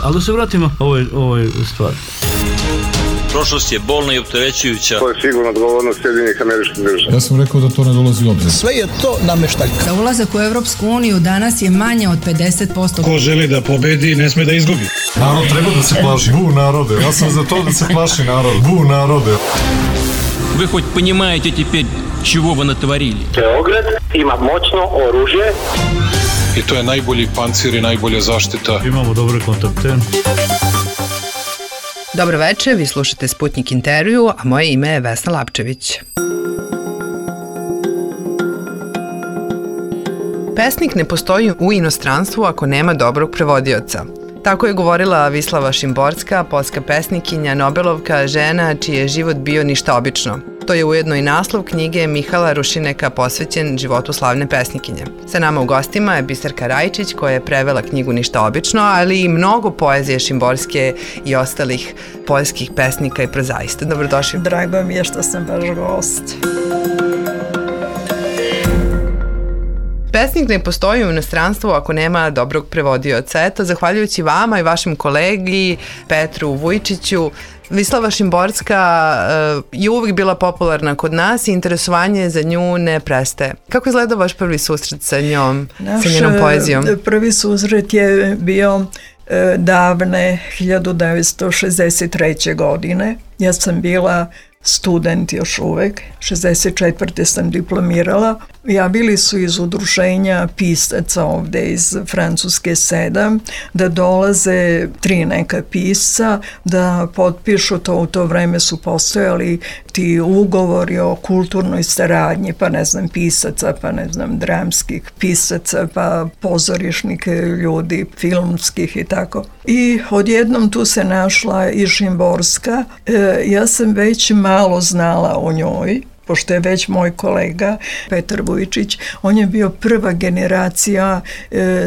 Ali da se vratimo ovoj stvari. Prošlost je bolna i opterećujuća. To je sigurno odgovornost Sjedinjenih Američkih Država. Ja sam rekao da to ne dolazi u obzir. Sve je to nameštaljka. Za ulazak u Evropsku uniju danas je manje od 50%. Ko želi da pobedi, ne sme da izgubi. Narod treba da se plaši. Bu narode. Ja sam za to da se plaši narod. Bu narode. Вы хоть понимаете теперь, чего вы натворили? Beograd ima moćno oružje. I to je najbolji pancir i najbolja zaštita. Imamo dobre kontakte. Dobro večer, vi slušate Sputnik intervju, a moje ime je Vesna Lapčević. Pesnik ne postoji u inostranstvu ako nema dobrog prevodioca. Tako je govorila Vislava Šimborska, poljska pesnikinja, Nobelovka, žena čiji je život bio ništa obično. To je ujedno i naslov knjige Mihala Rušineka posvećen životu slavne pesnikinje. Sa nama u gostima je Biserka Rajčić koja je prevela knjigu Ništa obično, ali i mnogo poezije Šimborske i ostalih poljskih pesnika i prozaista. Dobrodošli. Drago mi je što sam vaš gost. Pesnik ne postoji u inostranstvu ako nema dobrog prevodioca. Eto, zahvaljujući vama i vašem kolegi Petru Vujčiću, Vislava Šimborska je uvijek bila popularna kod nas i interesovanje za nju ne prestaje. Kako izgleda vaš prvi susret sa njom, sa njenom poezijom? Prvi susret je bio davne 1963. godine. Ja sam bila student još uvek, 64. sam diplomirala. Javili su iz udruženja pisaca ovde iz Francuske 7 da dolaze 3 neka pisca da potpišu to. U to vreme su postojali ti ugovori o kulturnoj saradnji, pa ne znam pisaca, pa ne znam dramskih pisaca, pa pozorišnih ljudi, filmskih i tako. I odjednom tu se našla i Šimborska. Ja sam već malo znala o njoj, pošto je već moj kolega Petar Vujčić, on je bio prva generacija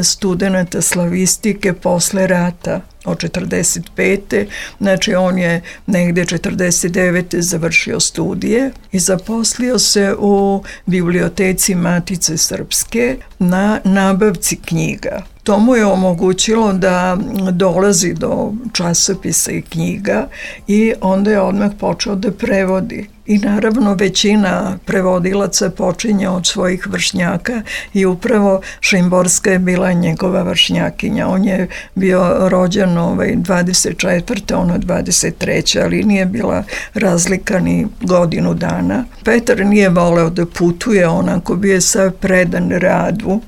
studenata slavistike posle rata od 45. Znači on je negde 49. završio studije i zaposlio se u biblioteci Matice Srpske na nabavci knjiga. To mu je omogućilo da dolazi do časopisa i knjiga i onda je odmah počeo da prevodi. I naravno većina prevodilaca počinje od svojih vršnjaka i upravo Šimborska je bila njegova vršnjakinja. On je bio rođen 24. ona 23. ali nije bila razlika ni godinu dana. Petar nije voleo da putuje, onako bio je sav predan radu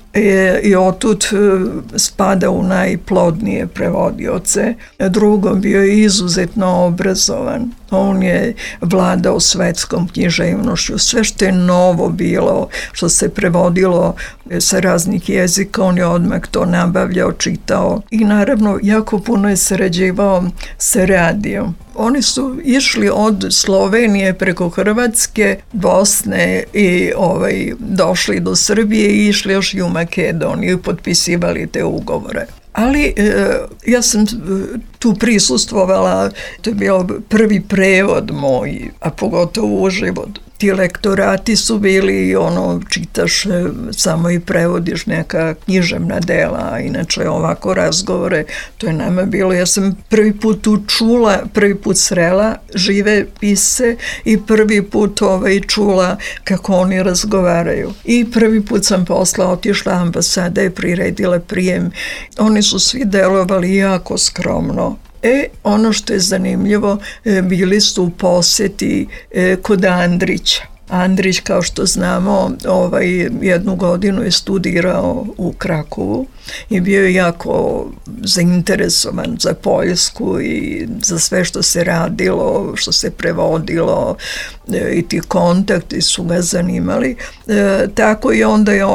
i otud spada u najplodnije prevodioce. Drugo, bio je izuzetno obrazovan. On je vladao svetskom književnošću. Sve što je novo bilo, što se prevodilo sa raznih jezika, on je odmah to nabavljao, čitao. I naravno, jako puno je sarađivao sa radijom. Oni su išli od Slovenije preko Hrvatske, Bosne i došli do Srbije i išli još i u Makedoniju i potpisivali te ugovore. Ali ja sam tu prisustvovala, to je bio prvi prevod moj, a pogotovo uživo. Ti lektorati su bili čitaš samo i prevodiš neka književna dela, a inače ovako razgovore, to je nama bilo. Ja sam prvi put tu čula, prvi put srela žive pisce i prvi put čula kako oni razgovaraju. I prvi put sam posla otišla, ambasada je priredila prijem. Oni su svi delovali jako skromno. Ono što je zanimljivo, bili su u poseti kod Andrića. Andrić, kao što znamo, jednu godinu je studirao u Krakovu i bio je jako zainteresovan za Poljsku i za sve što se radilo, što se prevodilo i ti kontakti su ga zanimali. Tako i onda je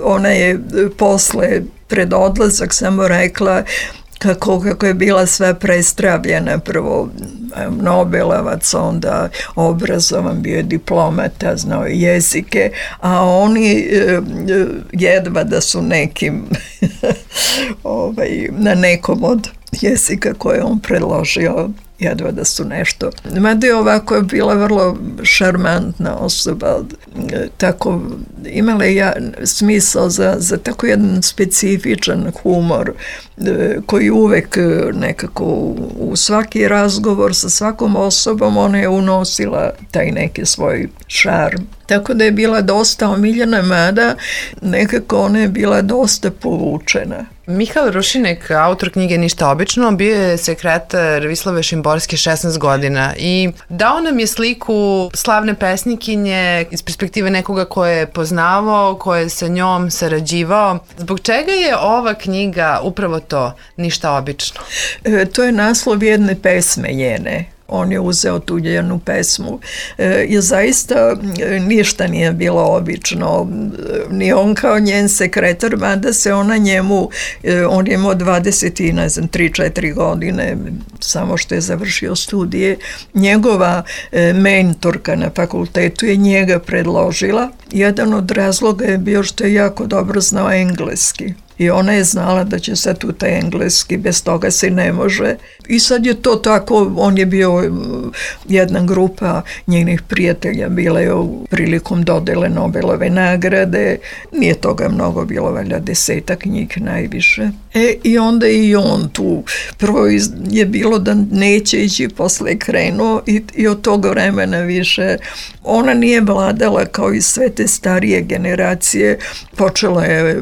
ona je posle pred odlazak samo rekla kako je bila sve prestravljena, prvo Nobelovac, onda obrazovan, bio je diplomata, znao jezike, a oni jedva da su nekim na nekom od jezika koje on predložio jedva da su nešto. Mada je ovako bila vrlo šarmantna osoba, tako imala je smisao za tako jedan specifičan humor koji uvek nekako u svaki razgovor sa svakom osobom ona je unosila taj neki svoj šarm. Tako da je bila dosta omiljena, mada nekako ona je bila dosta povučena. Mihajl Rušinek, autor knjige Ništa obično, bio je sekretar Vislave Šimborske 16 godina i dao nam je sliku slavne pesnikinje iz perspektive nekoga koje je poznavao, koje je sa njom sarađivao. Zbog čega je ova knjiga upravo to, Ništa obično? To je naslov jedne pesme njene. On je uzeo tu jednu pesmu. I zaista ništa nije bilo obično. Ni on kao njen sekretar, mada se ona njemu, on je imao 3-4 godine, samo što je završio studije. Njegova mentorka na fakultetu je njega predložila. Jedan od razloga je bio što je jako dobro znao engleski. I ona je znala da će sad u taj engleski, bez toga se ne može. I sad je to tako, on je bio jedna grupa njenih prijatelja, bila je prilikom dodele Nobelove nagrade, nije toga mnogo bilo, valjda 10 njih najviše. I onda i on tu, prvo je bilo da neće ići, posle je krenuo i od tog vremena više. Ona nije vladala kao i sve te starije generacije, počela je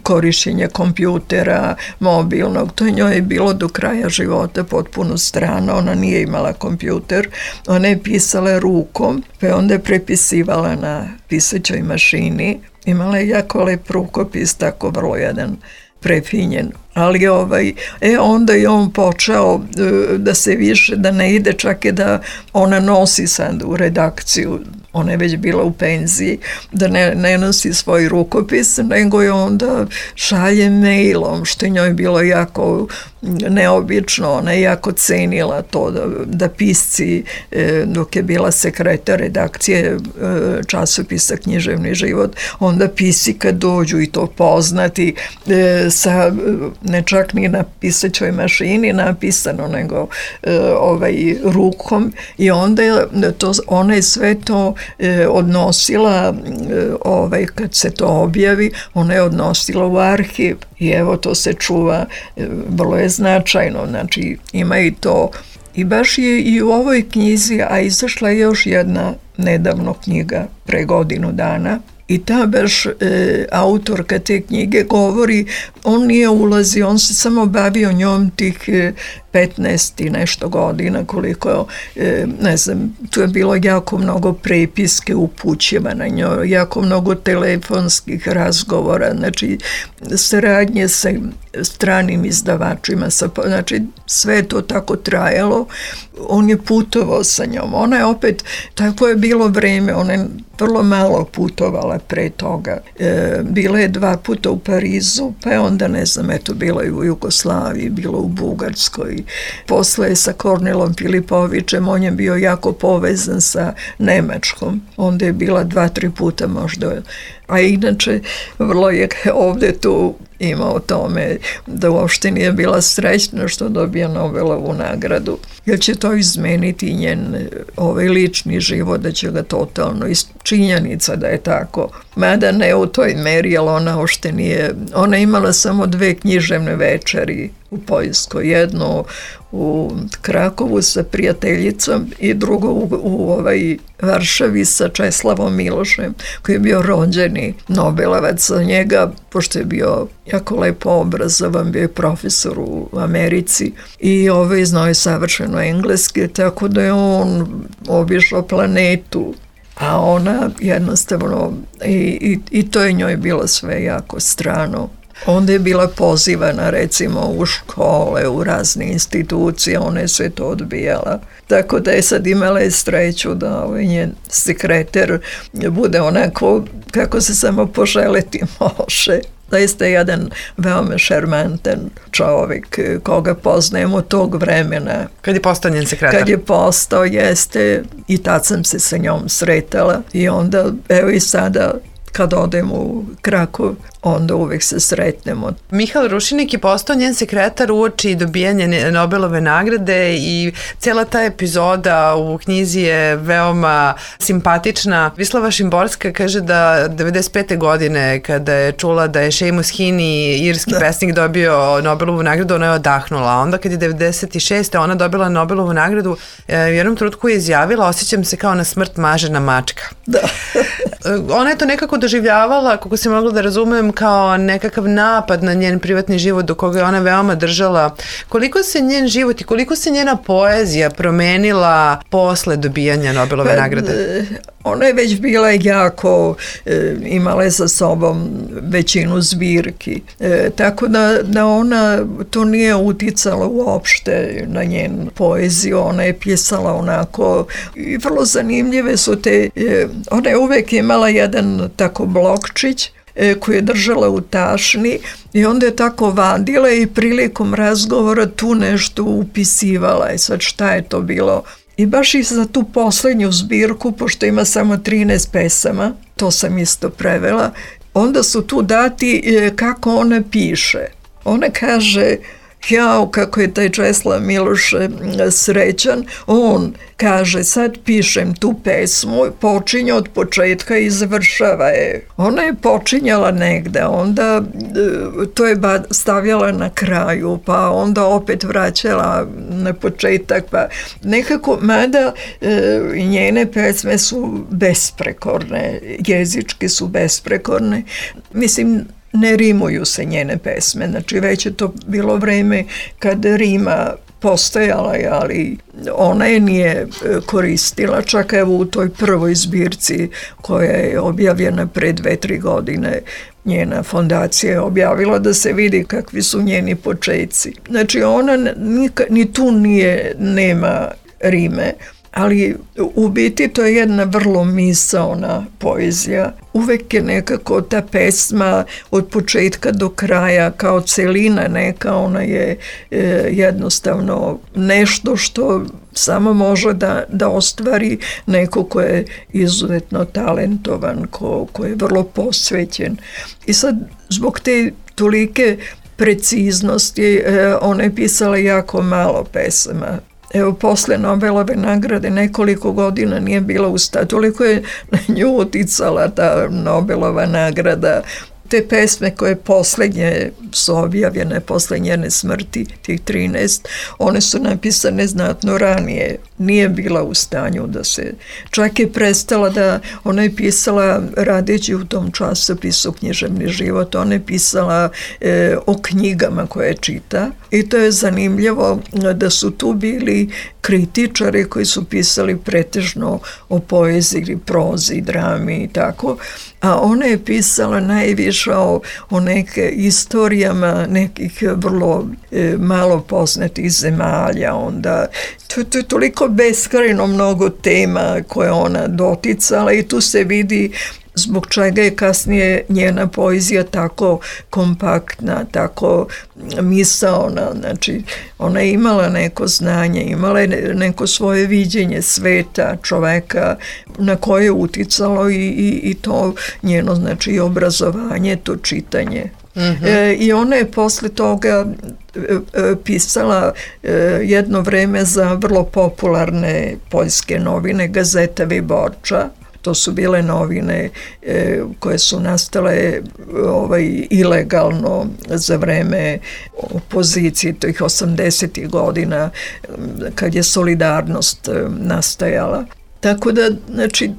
korišćenje kompjutera, mobilnog, to njoj je bilo do kraja života potpuno strano, ona nije imala kompjuter, ona je pisala rukom, pa onda je prepisivala na pisaćoj mašini, imala je jako lep rukopis, tako vrlo jedan prefinjen, ali onda je on počeo da se više, da ne ide čak i da ona nosi sad u redakciju, ona je već bila u penziji, da ne nosi svoj rukopis, nego je onda šalje mailom, što je njoj bilo jako neobično, ona je jako cenila to da pisci, dok je bila sekretar redakcije časopisa Književni život, onda pisci kad dođu i to poznati sa, ne čak ni na pisaćoj mašini napisano, nego rukom, i onda ona je sve to odnosila, kad se to objavi, ona je odnosila u arhiv i evo to se čuva, vrlo je značajno, znači ima i to. I baš je i u ovoj knjizi, a izašla je još jedna nedavno knjiga pre godinu dana, i ta baš autorka te knjige govori, on nije ulazio, on se samo bavio njom tih 15 i nešto godina, koliko, ne znam, tu je bilo jako mnogo prepiske upućiva na njoj, jako mnogo telefonskih razgovora, znači saradnje sa stranim izdavačima, znači sve to tako trajalo, on je putovao sa njom, ona je opet, tako je bilo vreme, ona je vrlo malo putovala pre toga, bila je 2 puta u Parizu, pa je onda, ne znam, eto, bila je u Jugoslaviji, bila u Bugarskoj, posle je sa Kornelom Filipovićem, on je bio jako povezan sa Nemačkom, onda je bila 2-3 puta možda, a inače vrlo je ovde tu ima o tome da uopšte nije bila srećna što dobija Nobelovu nagradu, jer će to izmeniti njen lični život, da će ga totalno, činjenica da je tako, mada ne u toj meri, jer ona uopšte nije, ona imala samo 2 književne večeri u Poljskoj, jednu u Krakovu sa prijateljicom i drugo u Varšavi sa Česlavom Milošem, koji je bio rođeni Nobelovac. Za njega, pošto je bio jako lepo obrazovan, bio je profesor u Americi i znao je savršeno engleski, tako da je on obišao planetu, a ona jednostavno, i to je njoj bilo sve jako strano. Onda je bila pozivana recimo u škole, u razne institucije, ona je sve to odbijala. Tako da je sad imala sreću da njen sekretar bude onako kako se samo poželiti može. Zaista je jedan veoma šarmantan čovjek koga poznajemo tog vremena. Kad je postao njen sekretar? Kad je postao, jeste, i tad sam se sa njom sretala i onda, evo i sada, kad odem u Krakov, onda uvek se sretnemo. Mihajl Rušinik je postao njen sekretar uoči dobijanja Nobelove nagrade i cijela ta epizoda u knjizi je veoma simpatična. Vislava Šimborska kaže da 95. godine kada je čula da je Seamus Heaney, irski pesnik, dobio Nobelovu nagradu, ona je odahnula. A onda kad je 96. ona dobila Nobelovu nagradu, u jednom trenutku je izjavila: osjećam se kao na smrt mažena mačka. Da. Ona je to nekako doživljavala, kako se mogla da razumem, kao nekakav napad na njen privatni život do koga je ona veoma držala. Koliko se njen život i koliko se njena poezija promenila posle dobijanja Nobelove nagrade? Ona je već bila jako, imala je sa sobom većinu zbirki, tako da ona, to nije uticalo uopšte na njenu poeziju, ona je pisala onako, i vrlo zanimljive su te, ona je uvek imala jedan tako blokčić koju je držala u tašni i onda je tako vadila i prilikom razgovora tu nešto upisivala. I sad šta je to bilo? I baš i za tu poslednju zbirku, pošto ima samo 13 pesama, to sam isto prevela, onda su tu dati kako ona piše. Ona kaže: jao, kako je taj Česlav Miloš srećan, on kaže: sad pišem tu pesmu, počinje od početka i završava je. Ona je počinjala negde, onda to je stavljala na kraju, pa onda opet vraćala na početak, pa nekako, mada njene pesme su besprekorne, jezički su besprekorne, mislim, ne rimuju se njene pesme, znači već je to bilo vreme kad rima postojala, ali ona je nije koristila, čak evo u toj prvoj zbirci koja je objavljena pre 2-3 godine, njena fondacija je objavila da se vidi kakvi su njeni početci. Znači ona ni tu nema rime, ali u biti to je jedna vrlo misaona poezija. Uvek je nekako ta pesma od početka do kraja kao celina neka, ona je jednostavno nešto što samo može da ostvari neko ko je izuzetno talentovan, ko je vrlo posvećen. I sad, zbog te tolike preciznosti, ona je pisala jako malo pesama. Evo, posle Nobelove nagrade nekoliko godina nije bila u stanju, toliko je na nju uticala ta Nobelova nagrada. Te pesme koje poslednje su objavljene posle njene smrti, tih 13, one su napisane znatno ranije. Nije bila u stanju da se... Čak je prestala da... Ona je pisala, radeći u tom časopisu Književni život, ona je pisala o knjigama koje čita. I to je zanimljivo da su tu bili kritičari koji su pisali pretežno o poeziji, prozi, drami i tako. A ona je pisala najviše o neke istorijama nekih vrlo malo poznatih zemalja. Onda, to je toliko beskrajno mnogo tema koje ona doticala i tu se vidi zbog čega je kasnije njena poezija tako kompaktna, tako misaona. Znači, ona je imala neko znanje, imala je neko svoje viđenje sveta, čoveka, na koje je uticalo i to njeno, znači, i obrazovanje, to čitanje. I ona je posle toga pisala jedno vreme za vrlo popularne poljske novine, Gazeta Wyborcza. To su bile novine koje su nastale ilegalno za vreme opozicije, tih 80. godina, kad je Solidarnost nastajala. Tako da, znači,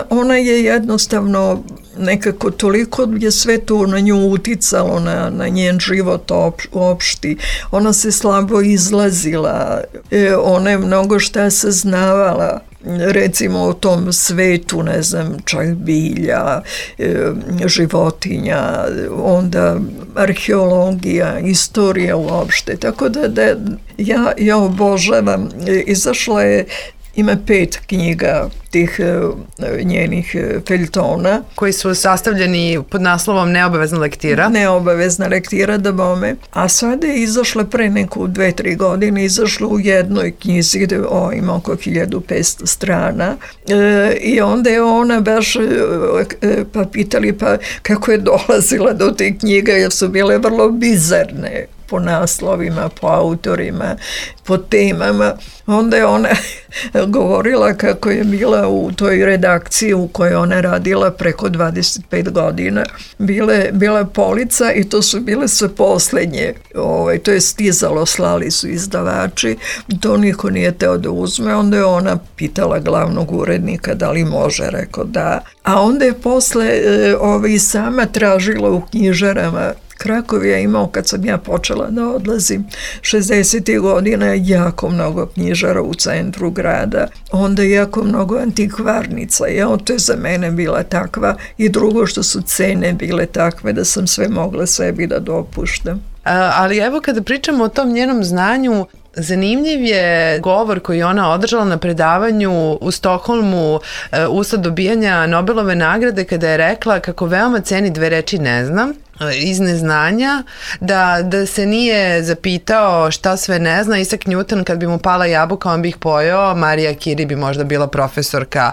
ona je jednostavno nekako toliko je sve to na nju uticalo, na njen život opšti. Ona se slabo izlazila, ona je mnogo šta saznavala, recimo o tom svetu, ne znam, čak bilja, životinja, onda arheologija, istorija uopšte. Tako da ja obožavam. Izašla je Ima 5 knjiga tih njenih feljtona. Koji su sastavljeni pod naslovom Neobavezna lektira. Neobavezna lektira, da bome. A sada je izašla pre neku 2-3 godine, izašla u jednoj knjizi gde ima oko 1500 strana. I onda je ona baš pa pitali pa kako je dolazila do te knjige, jer su bile vrlo bizarne po naslovima, po autorima, po temama. Onda je ona govorila kako je bila u toj redakciji u kojoj ona radila preko 25 godina. Bila polica i to su bile sve poslednje. To je stizalo, slali su izdavači. To niko nije teo da uzme. Onda je ona pitala glavnog urednika da li može, rekao da. A onda je posle sama tražila u knjižarama. Krakov je imao, kad sam ja počela da odlazim, 60. godina jako mnogo knjižara u centru grada, onda jako mnogo antikvarnica. To je za mene bila takva i drugo što su cene bile takve da sam sve mogla sebi da dopuštam. Ali evo kada pričamo o tom njenom znanju, zanimljiv je govor koji ona održala na predavanju u Stokholmu usled dobijanja Nobelove nagrade, kada je rekla kako veoma ceni 2 reči ne znam, iz neznanja, da se nije zapitao šta sve ne zna. Isaac Newton, kad bi mu pala jabuka, on bi ih pojeo, Marija Curie bi možda bila profesorka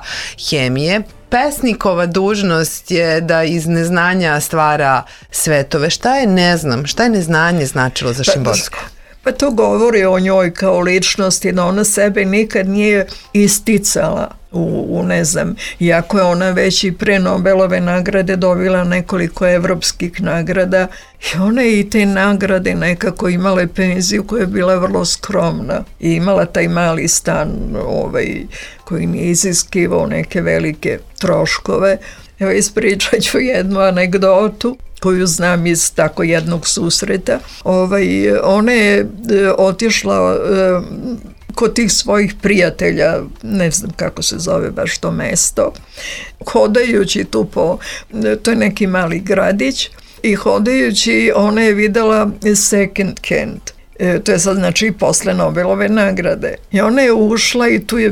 hemije. Pesnikova dužnost je da iz neznanja stvara svetove. Šta je ne znam? Šta je neznanje značilo za Šimborsku? Pa to govori o njoj kao ličnosti, da ona sebe nikad nije isticala ne znam, iako je ona već i pre Nobelove nagrade dobila nekoliko evropskih nagrada i ona je i te nagrade nekako imala penziju koja je bila vrlo skromna i imala taj mali stan koji nije iziskivao neke velike troškove. Evo, ispričat ću jednu anegdotu koju znam iz tako jednog susreta. Ona je otišla kod tih svojih prijatelja, ne znam kako se zove baš to mesto, hodajući tu to je neki mali gradić, i hodajući ona je videla Second Hand. To je sad znači posle Nobelove nagrade. I ona je ušla i tu je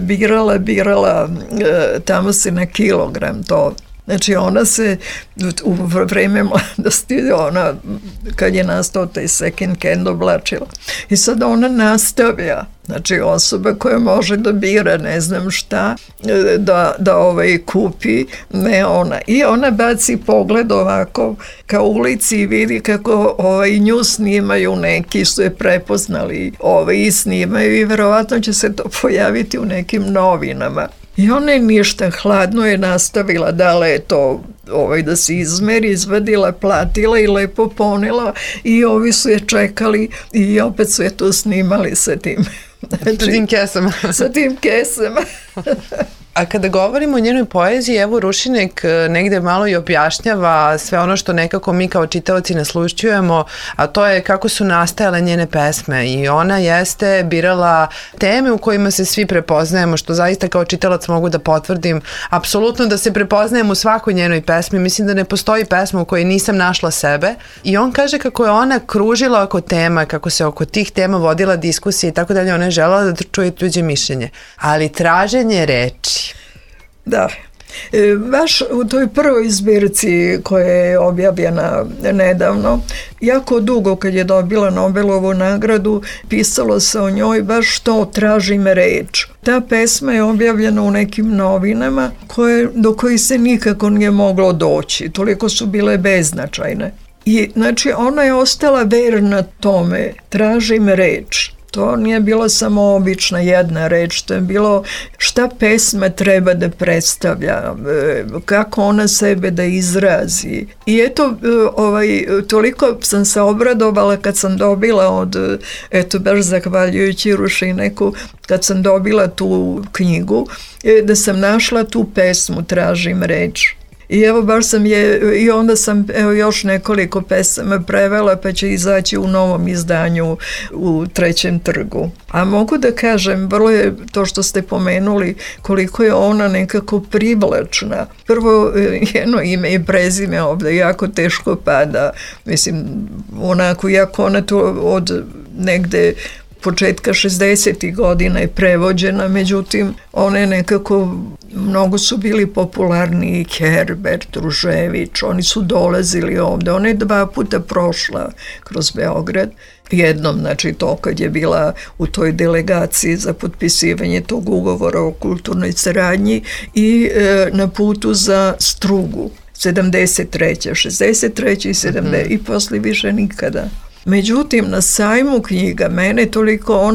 birala tamo se na kilogram to. Znači ona se u vreme mladosti, kad je nastao taj Second Hand, oblačila. I sad ona nastavlja, znači osoba koja može da bira ne znam šta, da kupi, ne ona. I ona baci pogled ovako ka ulici i vidi kako nju snimaju, neki su je prepoznali i snimaju i verovatno će se to pojaviti u nekim novinama. I ona je ništa, hladno je nastavila, dala je to da se izmeri, izvadila, platila i lepo ponela i ovi su je čekali i opet su je to snimali sa tim. Sa tim kesama. Sa tim kesama. A kada govorimo o njenoj poeziji, evo Rušinek negde malo i objašnjava sve ono što nekako mi kao čitaoci naslušćujemo, a to je kako su nastajale njene pesme, i ona jeste birala teme u kojima se svi prepoznajemo, što zaista kao čitalac mogu da potvrdim, apsolutno da se prepoznajem u svakoj njenoj pesmi. Mislim da ne postoji pesma u kojoj nisam našla sebe, i on kaže kako je ona kružila oko tema, kako se oko tih tema vodila diskusija i tako dalje. Ona je želela da čuje tuđe mišljenje, ali traženje reči. Da, baš u toj prvoj zbirci koja je objavljena nedavno, jako dugo kad je dobila Nobelovu nagradu, pisalo se o njoj baš to tražim reč. Ta pesma je objavljena u nekim novinama do kojih se nikako nije moglo doći, toliko su bile beznačajne. I znači ona je ostala verna tome, tražim reč. To nije bilo samo obična jedna reč, to je bilo šta pesma treba da predstavlja, kako ona sebe da izrazi. I eto, toliko sam se obradovala kad sam dobila baš zahvaljujući Rušineku, kad sam dobila tu knjigu, da sam našla tu pesmu Tražim reč. I evo baš i onda sam još nekoliko pesama prevela, pa će izaći u novom izdanju u Trećem trgu. A mogu da kažem, vrlo je to što ste pomenuli, koliko je ona nekako privlačna. Prvo, jedno ime i prezime ovde jako teško pada. Mislim, onako, jako ona to od negde početka 60. godina je prevođena, međutim ona je nekako, mnogo su bili popularni, Herbert, Ružević, oni su dolazili ovde, ona je 2 puta prošla kroz Beograd, jednom, znači to kad je bila u toj delegaciji za potpisivanje tog ugovora o kulturnoj saradnji i na putu za Strugu, 73. 63. i 70. i posle više nikada. Međutim, na sajmu knjiga, mene toliko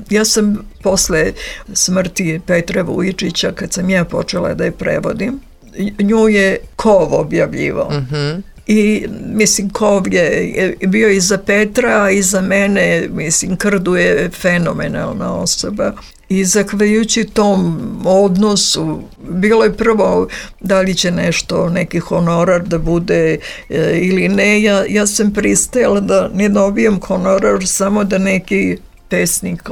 ja sam posle smrti Petra Vujičića, kad sam ja počela da je prevodim, nju je Kov objavljivao. I mislim, Kov je bio i za Petra i za mene, mislim, Krdu je fenomenalna osoba. I zahvaljujući tom odnosu, bilo je prvo da li će nešto, neki honorar da bude ili ne. Ja sam pristajala da ne dobijem honorar, samo da neki pesnik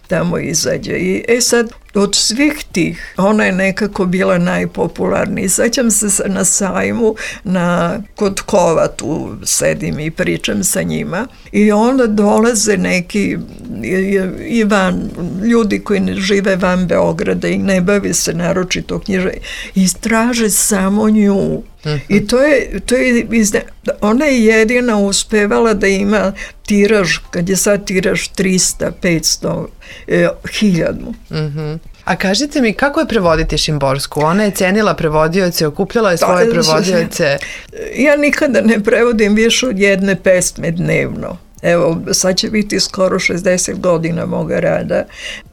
tamo izađe. I sad, od svih tih, ona je nekako bila najpopularnija. Sećam se na sajmu, kod Kova tu sedim i pričam sa njima i onda dolaze neki ljudi koji žive van Beograda i ne bavi se naročito književnom i traže samo nju. I ona je jedina uspevala da ima tiraž, kad je sad tiraž 300, 500, 1000. A kažite mi, kako je prevoditi Šimborsku? Ona je cenila prevodioce, okupljala je svoje prevodioce. Ja nikada ne prevodim više od 1 pesme dnevno. Evo, sad će biti skoro 60 godina moga rada.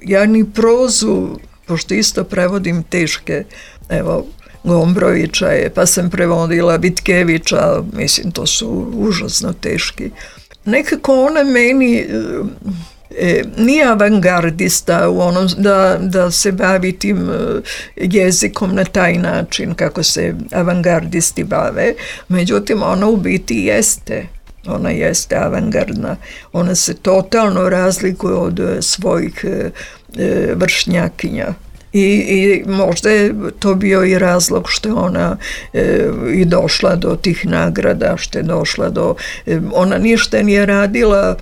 Ja ni prozu, pošto isto prevodim teške, evo, Gombrovića je, pa sam prevodila Vitkevića, mislim, to su užasno teški. Nekako ona meni nije avangardista u onom da se bavi tim jezikom na taj način kako se avangardisti bave, međutim ona u biti jeste. Ona jeste avangardna. Ona se totalno razlikuje od svojih vršnjakinja. I možda je to bio i razlog što je ona i došla do tih nagrada, što je došla do... Ona ništa nije radila,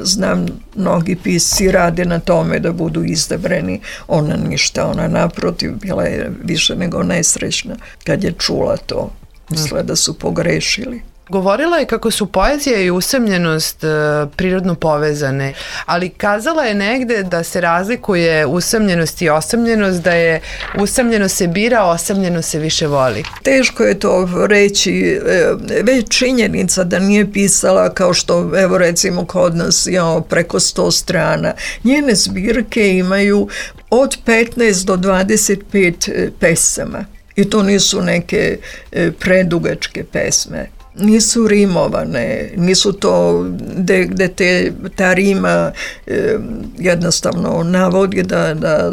znam, mnogi pisci rade na tome da budu izabrani. Ona ništa, ona naprotiv bila je više nego nesrećna kad je čula to. Mislila da su pogrešili. Govorila je kako su poezija i usamljenost prirodno povezane, ali kazala je negde da se razlikuje usamljenost i osamljenost, da je usamljeno se bira, osamljeno se više voli. Teško je to reći, već činjenica da nije pisala kao što, evo recimo kod nas, preko 100 strana. Njene zbirke imaju od 15 do 25 pesama i to nisu neke predugačke pesme. Nisu rimovane, nisu to gde ta rima jednostavno navodi da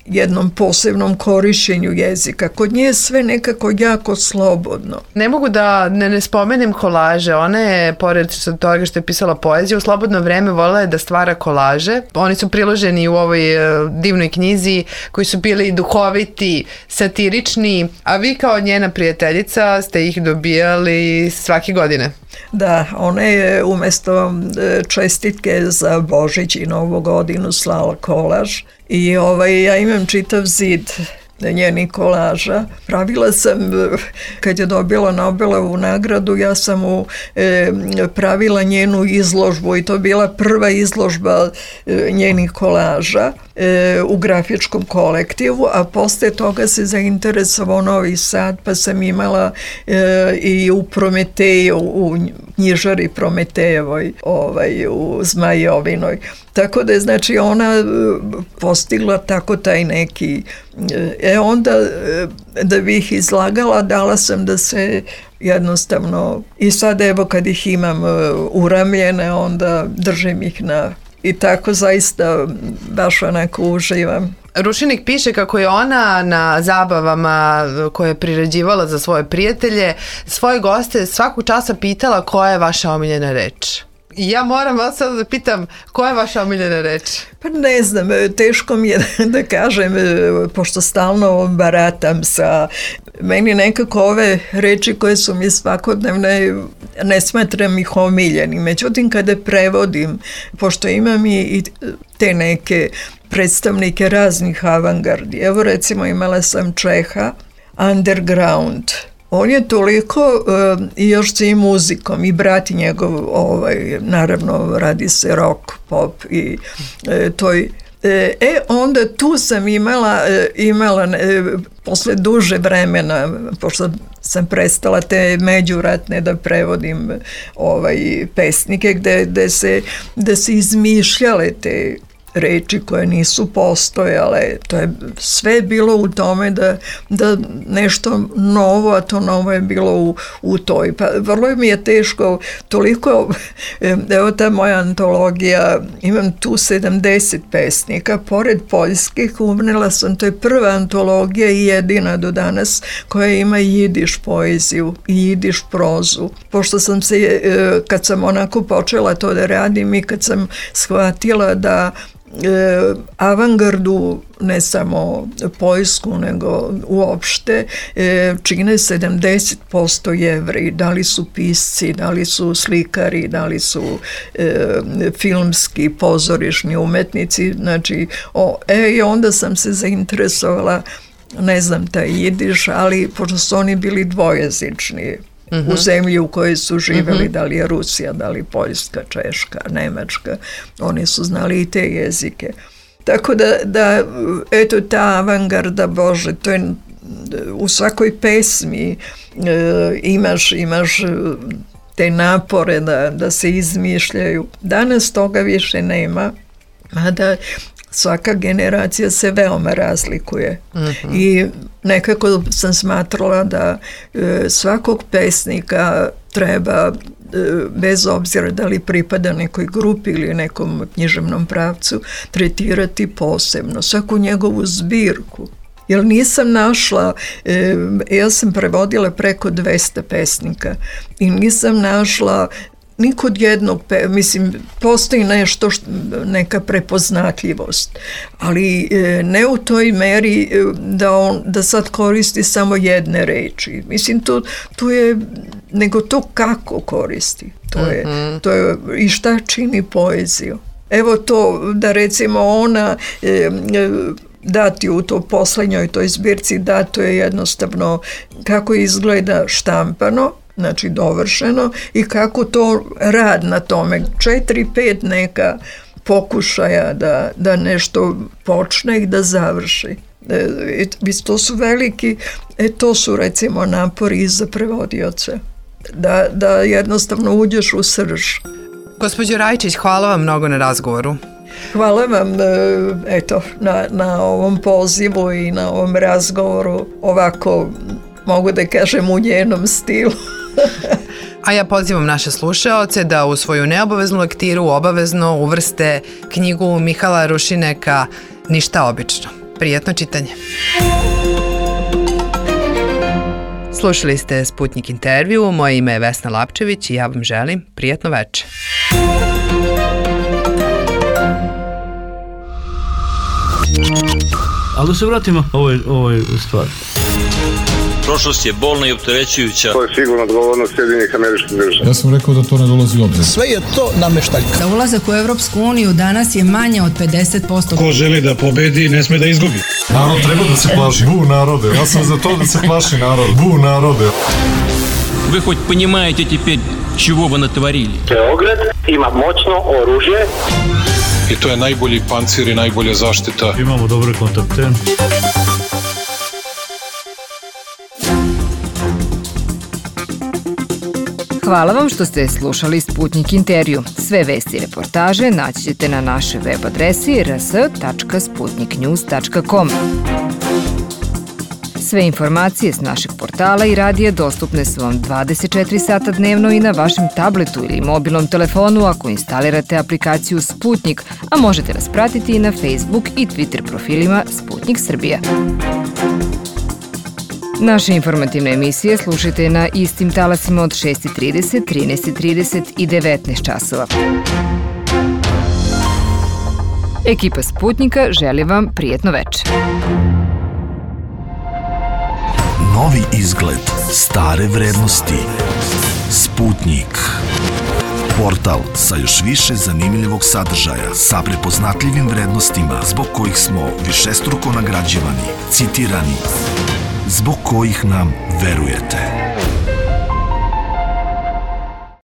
jednom posebnom korišćenju jezika. Kod nje je sve nekako jako slobodno. Ne mogu da ne spomenem kolaže. Ona je, pored toga što je pisala poeziju, u slobodno vreme voljela je da stvara kolaže. Oni su priloženi u ovoj divnoj knjizi, koji su bili duhoviti, satirični, a vi kao njena prijateljica ste ih dobijali svake godine. Da, ona je umesto čestitke za Božić i Novu godinu slala kolaž i ja imam čitav zid njenih kolaža. Pravila sam, kad je dobila Nobelovu nagradu, ja sam pravila njenu izložbu i to bila prva izložba njenih kolaža u grafičkom kolektivu, a posle toga se zainteresovao Novi Sad, pa sam imala i u Prometeju, u knjižari Prometejevoj, u Zmajovinoj. Tako da je, znači, ona postigla tako taj neki... onda, da bih izlagala, dala sam da se jednostavno... I sad, evo, kad ih imam uramljene, onda držim ih i tako zaista baš onako uživam. Rušinik piše kako je ona na zabavama koje je priređivala za svoje prijatelje, svoje goste svakog časa pitala koja je vaša omiljena reč. I ja moram vas sad da pitam, koja je vaša omiljena reč? Pa ne znam, teško mi je da kažem, pošto stalno baratam sa Meni nekako ove reči koje su mi svakodnevne, ne smatram ih omiljenim. Međutim, kada prevodim, pošto imam i te neke predstavnike raznih avangardi, evo recimo imala sam Čeha, Underground. On je toliko, i još sa i muzikom, i brat njegov, naravno radi se rock, pop i toj. Onda tu sam imala posle duže vremena, pošto sam prestala te međuratne da prevodim pesnike gde se izmišljale te reči koje nisu postojale. To je sve bilo u tome da nešto novo, a to novo je bilo u toj. Pa vrlo mi je teško, toliko, evo ta moja antologija, imam tu 70 pesnika, pored poljskih umrela sam, to je prva antologija i jedina do danas koja ima jidiš poeziju i jidiš prozu. Pošto sam se, kad sam onako počela to da radim i kad sam shvatila da avangardu, ne samo poljsku, nego uopšte, čine 70% Jevreji. Da li su pisci, da li su slikari, da li su filmski, pozorišni umetnici. Znači, i onda sam se zainteresovala, ne znam taj jidiš, ali pošto su oni bili dvojezični, u zemlji u kojoj su živjeli, da li je Rusija, da li Poljska, Češka, Nemačka, oni su znali i te jezike. Tako da eto, ta avangarda, Bože, to je u svakoj pesmi imaš te napore da se izmišljaju. Danas toga više nema, mada svaka generacija se veoma razlikuje. I nekako sam smatrala da svakog pesnika treba, bez obzira da li pripada nekoj grupi ili nekom književnom pravcu, tretirati posebno, svaku njegovu zbirku. Jer nisam našla, ja sam prevodila preko 200 pesnika i nisam našla ni kod jednog, mislim, postoji nešto, neka prepoznatljivost, ali ne u toj meri da sad koristi samo jedne reči. Mislim, tu je, nego to kako koristi. To je i šta čini poeziju. Evo to, da recimo ona dati u to poslednjoj toj zbirci, dato je jednostavno kako izgleda štampano, znači dovršeno, i kako to rad na tome, 4-5 neka pokušaja da nešto počne i da završi. To su veliki, to su recimo napori i za prevodioce, da jednostavno uđeš u srž. Gospođo Rajčić, hvala vam mnogo na razgovoru. Hvala vam eto, na ovom pozivu i na ovom razgovoru, ovako mogu da kažem u njenom stilu. A ja pozivam naše slušaoce da u svoju neobaveznu lektiru obavezno uvrste knjigu Mihala Rušineka Ništa obično. Prijatno čitanje. Slušali ste Sputnik intervju, moje ime je Vesna Lapčević i ja vam želim prijatno veče. Ali da se vratimo ovoj stvari. Prošlost je bolna i opterećujuća. To je sigurno odgovornost Sjedinjenih Američkih Država. Ja sam rekao da to ne dolazi u obzir. Sve je to nameštaljka. Za ulazak u Evropsku uniju danas je manje od 50%. Ko želi da pobedi, ne sme da izgubi. Narod treba da se plaši. Bu narode. Ja sam za to da se plaši narod. Bu narode. Вы хоть понимаете теперь, чего вы натворили? Beograd ima moćno oružje. I to je najbolji pancir i najbolja zaštita. Imamo dobre kontakte. Hvala vam što ste slušali Sputnik intervju. Sve vesti i reportaže naći ćete na našoj web adresi rs.sputniknews.com. Sve informacije s našeg portala i radija dostupne su vam 24 sata dnevno i na vašem tabletu ili mobilnom telefonu ako instalirate aplikaciju Sputnik, a možete nas pratiti i na Facebook i Twitter profilima Sputnik Srbija. Naše informativne emisije slušajte na istim talasima od 6:30, 13:30 i 19 časova. Ekipa Sputnika želi vam prijatno veče. Novi izgled, stare vrednosti. Sputnik. Portal sa još više zanimljivog sadržaja, sa prepoznatljivim vrednostima zbog kojih smo višestruko nagrađivani, citirani, zbog kojih nam verujete.